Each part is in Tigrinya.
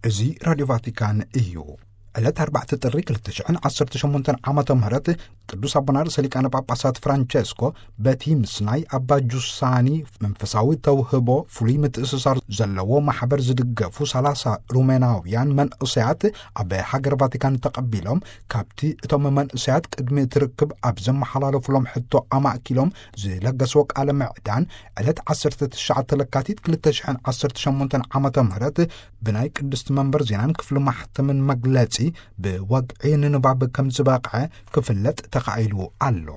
እዚ ራድዮ ቫቲካን እዩ። ዕለት ኣርባዕተ ጥሪ ክልተ ሽሕን ዓሰርተ ሸሞንተን ዓመተ ምህረት ቅዱስ ኣቦና ርእሰ ሊቃነ ጳጳሳት ፍራንቸስኮ በቲ ምስ ናይ ኣባ ጁሳኒ መንፈሳዊ ተውህቦ ፍሉይ ምትእስሳር ዘለዎ ማሕበር ዝድገፉ ሰላሳ ሩሜናውያን መንእሰያት ኣብ ሃገር ቫቲካን ተቐቢሎም፣ ካብቲ እቶም መንእሰያት ቅድሚ እቲ ርክብ ኣብ ዘመሓላለፉሎም ሕቶ ኣማእኪሎም ዝለገስዎ ቃለ ምዕዳን፣ ዕለት ዓሰርተ ትሽዓተ ለካቲት ክልተ ሽሕን ዓሰርተ ሸሞንተን ዓመተ ምህረት ብናይ ቅድስቲ መንበር ዜናን ክፍሊ ማሕተምን መግለጺ ብወግዒ ንንባብ ከም ዝበቕዐ ክፍለጥ ተኻኢሉ ኣሎ።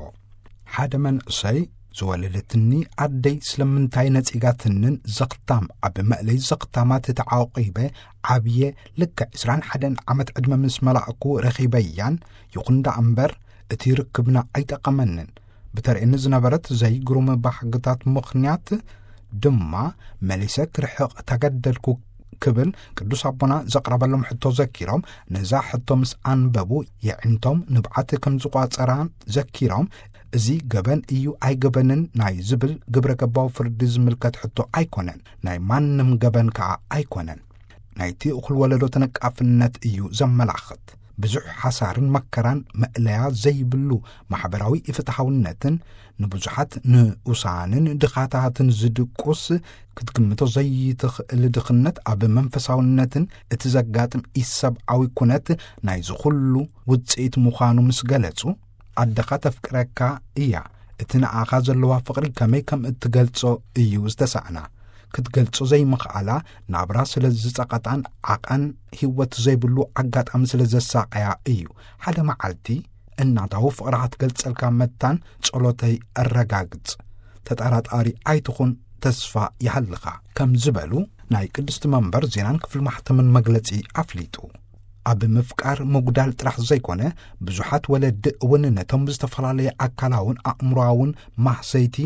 ሓደ መንእሰይ፣ ዝወለደትኒ ኣደይ ስለምንታይ ነጺጋትንን ዘኽታም ኣብ መእለይ ዘኽታማት ተዓቂበ ዓብየ፣ ልክዕ ዕስራን ሓደን ዓመት ዕድመ ምስ መላእኩ ረኺበያን። ይኹን ደኣ እምበር እቲ ርክብና ኣይጠቐመንን። ብተርእየኒ ዝነበረት ዘይግሩም ባህግታት ምኽንያት ድማ መሊሰ ክርሕቕ ተገደድኩ ክብል ቅዱስ ኣቦና ዘቕረበሎም ሕቶ ዘኪሮም፣ ነዛ ሕቶ ምስ ኣንበቡ የዕንቶም ንብዓት ከም ዝቋጸራን ዘኪሮም፣ እዚ ገበን እዩ ኣይገበንን ናይ ዝብል ግብረ ገባዊ ፍርዲ ዝምልከት ሕቶ ኣይኮነን፣ ናይ ማንም ገበን ከኣ ኣይኮነን። ናይቲ እኹል ወለዶ ተነቃፍነት እዩ ዘመላኽት። ብዙሕ ሓሳርን መከራን መእለያ ዘይብሉ ማሕበራዊ ኢፍትሓውነትን ንብዙሓት ንኡሳንን ድኻታትን ዝድቁስ ክትግምቶ ዘይትኽእል ድኽነት ኣብ መንፈሳውነትን እቲ ዘጋጥም ኢሰብኣዊ ኩነት ናይዚ ኩሉ ውጽኢት ምዃኑ ምስ ገለጹ፣ ኣደኻ ተፍቅረካ እያ። እቲ ንኣኻ ዘለዋ ፍቕሪ ከመይ ከም እትገልጾ እዩ ዝተሳእና። ክትገልጾ ዘይምኽኣላ ናብራ ስለ ዝጸቐጣን ዓቐን ህይወት ዘይብሉ ኣጋጣሚ ስለ ዘሳቐያ እዩ። ሓደ መዓልቲ እናታዊ ፍቕራ ክትገልጸልካ መታን ጸሎተይ ኣረጋግጽ። ተጠራጣሪ ኣይትኹን፣ ተስፋ ይሃልኻ፣ ከም ዝበሉ ናይ ቅድስቲ መንበር ዜናን ክፍሊ ማሕተምን መግለጺ ኣፍሊጡ። ኣብ ምፍቃር ምጉዳል ጥራሕ ዘይኮነ፣ ብዙሓት ወለዲ እውን ነቶም ብዝተፈላለየ ኣካላውን ኣእምሮኣውን ማህሰይቲ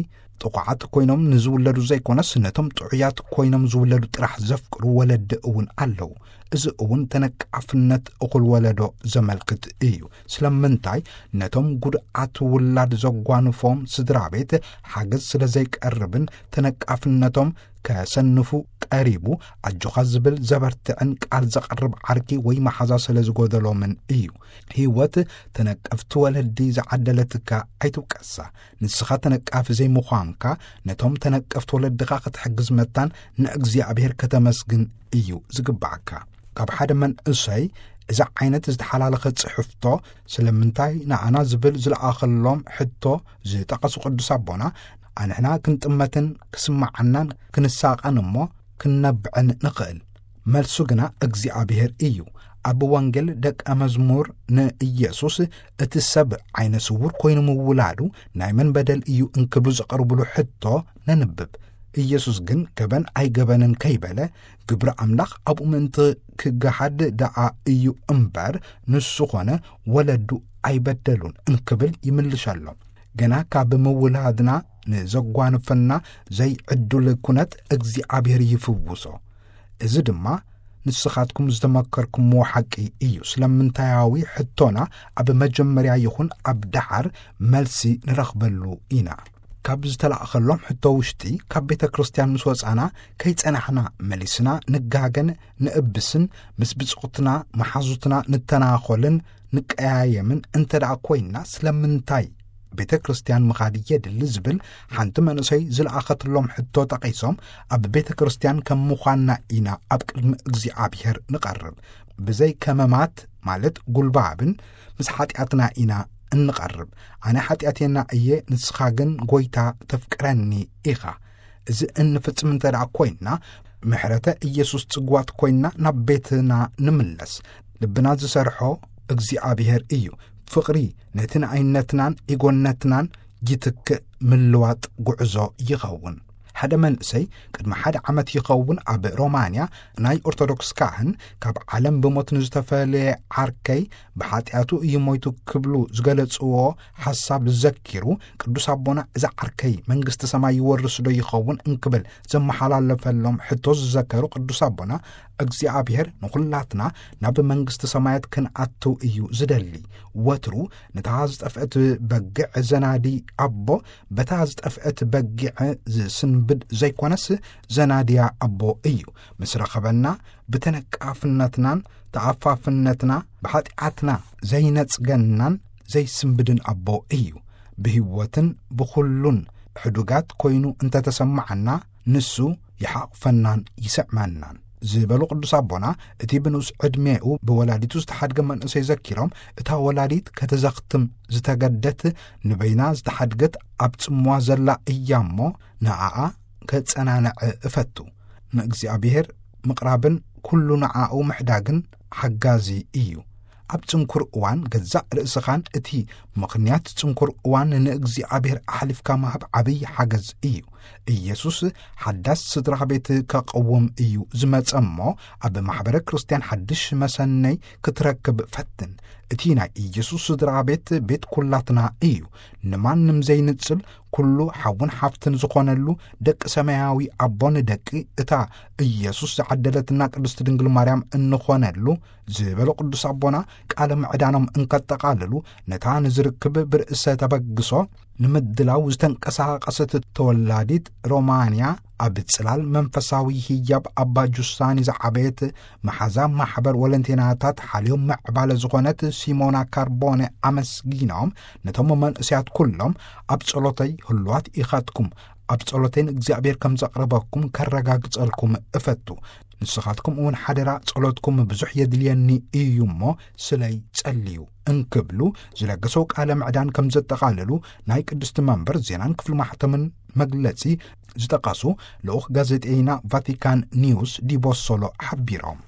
ጥቑዓት ኮይኖም ንዝውለዱ ዘይኮነስ፣ ነቶም ጥዑያት ኮይኖም ዝውለዱ ጥራሕ ዘፍቅሩ ወለዲ እውን ኣለዉ። እዚ እውን ተነቃፍነት እኹል ወለዶ ዘመልክት እዩ። ስለምንታይ ነቶም ጉድኣት ውላድ ዘጓንፎም ስድራ ቤት ሓገዝ ስለ ዘይቀርብን ተነቃፍነቶም ከሰንፉ ቀሪቡ፣ ኣጆኻ ዝብል ዘበርትዕን ቃል ዘቕርብ ዓርኪ ወይ መሓዛ ስለ ዝጎደሎምን እዩ። ህይወት ተነቀፍቲ ወለዲ ዝዓደለትካ ኣይትውቀሳ። ንስኻ ተነቃፊ ዘይምዃንካ፣ ነቶም ተነቀፍቲ ወለድኻ ክትሕግዝ መታን ንእግዚኣብሔር ከተመስግን እዩ ዝግባኣካ። ካብ ሓደ መንእሰይ እዚ ዓይነት ዝተሓላለኸ ጽሕፍቶ፣ ስለምንታይ ንኣና ዝብል ዝለኣኸሎም ሕቶ ዝጠቐሱ ቅዱስ ኣቦና፣ ኣንሕና ክንጥመትን ክስማዓናን ክንሳቐን እሞ ክንነብዕን ንኽእል። መልሱ ግና እግዚኣብሔር እዩ። ኣብ ወንጌል ደቀ መዝሙር ንኢየሱስ እቲ ሰብ ዓይነ ስውር ኮይኑ ምውላዱ ናይ መን በደል እዩ እንክብሉ ዘቕርብሉ ሕቶ ነንብብ። ኢየሱስ ግን ገበን ኣይገበንን ከይበለ፣ ግብሪ ኣምላኽ ኣብኡ ምእንቲ ክገሃድ ደኣ እዩ እምበር፣ ንሱ ኾነ ወለዱ ኣይበደሉን እንክብል ይምልሸሎም። ገና ካብ ምውላድና ንዘጓንፈና ዘይዕዱል ኩነት እግዚኣብሔር ይፍውሶ። እዚ ድማ ንስኻትኩም ዝተመከርኩምዎ ሓቂ እዩ። ስለምንታያዊ ሕቶና ኣብ መጀመርያ ይኹን ኣብ ደሓር መልሲ ንረኽበሉ ኢና። ካብ ዝተላእኸሎም ሕቶ ውሽጢ፣ ካብ ቤተ ክርስቲያን ምስ ወጻና ከይጸናሕና መሊስና ንጋገን ንእብስን፣ ምስ ብጾትና መሓዙትና ንተናኾልን ንቀያየምን እንተ ደኣ ኮይንና፣ ስለምንታይ ቤተ ክርስቲያን ምኻድ የድሊ ዝብል ሓንቲ መንእሰይ ዝለኣኸትሎም ሕቶ ጠቒሶም፣ ኣብ ቤተ ክርስቲያን ከም ምዃንና ኢና ኣብ ቅድሚ እግዚኣብሔር ንቐርብ። ብዘይ ከመማት፣ ማለት ጉልባብን፣ ምስ ሓጢኣትና ኢና እንቐርብ። ኣነ ሓጢኣተኛ እየ፣ ንስኻ ግን ጐይታ ተፍቅረኒ ኢኻ። እዚ እንፍጽም እንተ ደኣ ኮይንና፣ ምሕረተ ኢየሱስ ጽግዋት ኮይንና ናብ ቤትና ንምለስ። ልብና ዝሰርሖ እግዚኣብሔር እዩ። ፍቕሪ ነቲ ንኣይነትናን ኢጎነትናን ይትክእ ምልዋጥ ጉዕዞ ይኸውን። ሓደ መንእሰይ ቅድሚ ሓደ ዓመት ይኸውን ኣብ ሮማንያ ናይ ኦርቶዶክስ ካህን ካብ ዓለም ብሞት ንዝተፈለየ ዓርከይ ብሓጢኣቱ እዩ ሞይቱ ክብሉ ዝገለጽዎ ሓሳብ ዘኪሩ፣ ቅዱስ ኣቦና እዚ ዓርከይ መንግስቲ ሰማይ ይወርስ ዶ ይኸውን እንክብል ዘመሓላለፈሎም ሕቶ ዝዘከሩ ቅዱስ ኣቦና፣ እግዚኣብሔር ንኹላትና ናብ መንግስቲ ሰማያት ክንኣትው እዩ ዝደሊ። ወትሩ ነታ ዝጠፍአት በጊዕ ዘናዲ ኣቦ፣ በታ ዝጠፍአት በጊዕ ዝስንበ ብድ ዘይኮነስ ዘናድያ ኣቦ እዩ። ምስ ረኸበና ብተነቃፍነትናን ተኣፋፍነትና ብኃጢኣትና ዘይነጽገናን ዘይስንብድን ኣቦ እዩ። ብሕይወትን ብኹሉን ሕዱጋት ኮይኑ እንተተሰማዓና ንሱ ይሓቕፈናን ይስዕመናን ዝበሉ ቅዱስ ኣቦና፣ እቲ ብንኡስ ዕድሜኡ ብወላዲቱ ዝተሓድገ መንእሰይ ዘኪሮም፣ እታ ወላዲት ከተዘኽትም ዝተገደት ንበይና ዝተሓድገት ኣብ ጽምዋ ዘላ እያ እሞ ንኣኣ ከጸናንዐ እፈቱ። ንእግዚኣብሔር ምቕራብን ኩሉ ንኣኡ ምሕዳግን ሓጋዚ እዩ። ኣብ ጽንኩር እዋን ገዛእ ርእስኻን እቲ ምኽንያት ጽንኩር እዋን ንእግዚኣብሔር ኣሕሊፍካ ምሃብ ዓብዪ ሓገዝ እዩ። ኢየሱስ ሓዳስ ስድራ ቤት ከቐውም እዩ ዝመጸ እሞ፣ ኣብ ማሕበረ ክርስቲያን ሓድሽ መሰነይ ክትረክብ ፈትን። እቲ ናይ ኢየሱስ ስድራ ቤት ቤት ኩላትና እዩ። ንማንም ዘይንጽል ኩሉ ሓውን ሓፍትን ዝኾነሉ ደቂ ሰማያዊ ኣቦን ደቂ እታ ኢየሱስ ዝዓደለትና ቅድስቲ ድንግል ማርያም እንኾነሉ ዝበሉ ቅዱስ ኣቦና፣ ቃለ ምዕዳኖም እንከጠቓልሉ፣ ነታ ንዝርክብ ብርእሰ ተበግሶ ንምድላው ዝተንቀሳቐሰት ተወላዲት ሮማንያ፣ ኣብ ጽላል መንፈሳዊ ህያብ ኣባ ጁሳኒ ዝዓበየት መሓዛ ማሕበር ወለንቴናታት ሓልዮም ምዕባለ ዝኾነት ሲሞና ካርቦነ ኣመስጊኖም፣ ነቶም መንእሰያት ኩሎም ኣብ ጸሎተይ ህሉዋት ኢኻትኩም፣ ኣብ ጸሎተይ ንእግዚኣብሔር ከም ዘቕርበኩም ከረጋግጸልኩም እፈቱ። ንስኻትኩም እውን ሓደራ ጸሎትኩም ብዙሕ የድልየኒ እዩ እሞ ስለይ ጸልዩ እንክብሉ ዝለገሰው ቃለ ምዕዳን ከም ዘጠቓልሉ ናይ ቅድስቲ መንበር ዜናን ክፍሊ ማሕተምን መግለጺ ዝጠቐሱ ልኡኽ ጋዜጠይና ቫቲካን ኒውስ ዲቦሶሎ ሓቢሮም።